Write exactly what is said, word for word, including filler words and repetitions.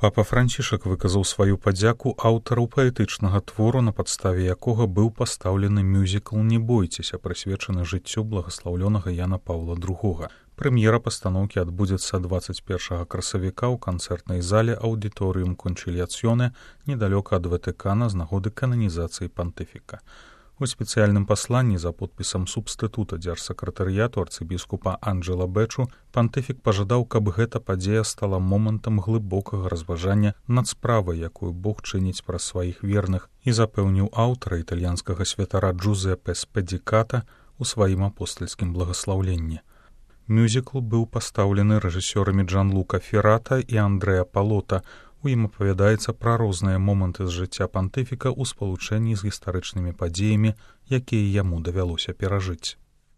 Папа Францішак выказаў сваю падзяку аўтару паэтычнага твору, на падставе якога быў пастаўлены мюзікл «Не бойцеся», прысвечаны жыццю благаслаўлёнага Яна Паўла другога. Прэм'ера пастаноўкі адбудзецца дваццаць першага красавіка ў канцэртнай зале аўдыторыум Кончыльяцьёне недалёка ад Ватыкана з нагоды кананізацыі пантыфіка. У спецыяльным пасланні за подпісам субстытута дзяржсакратарыяту арцыбіскупа Анджэла Бэчу пантыфік пажадаў, каб гэта падзея стала момантам глыбокага разважання над справай, якую Бог чыніць праз сваіх верных, і запэўніў аўтара італьянскага святара Джузеппе Спедзіката у сваім апостальскім благаслаўленні. Мюзікл быў пастаўлены рэжысёрамі Джанлука Феррата і Андрэа Палота. У ім апавядаецца пра розныя моманты з жыцця пантыфіка ў спалучэнні з гістарычнымі падзеямі, якія яму давялося перажыць.